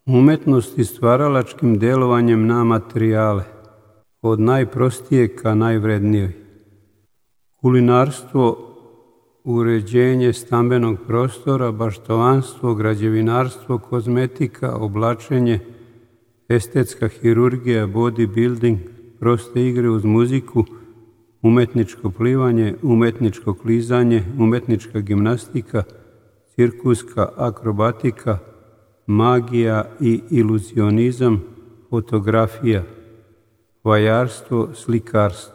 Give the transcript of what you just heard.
Umetnost i stvaralačkim delovanjem na materijale, od najprostije ka najvrednijoj. Kulinarstvo, uređenje stambenog prostora, baštovanstvo, građevinarstvo, kozmetika, oblačenje, estetska hirurgija, bodybuilding, proste igre uz muziku, umetničko plivanje, umetničko klizanje, umetnička gimnastika, cirkuska akrobatika, magija i iluzionizam, fotografija, vajarstvo, slikarstvo.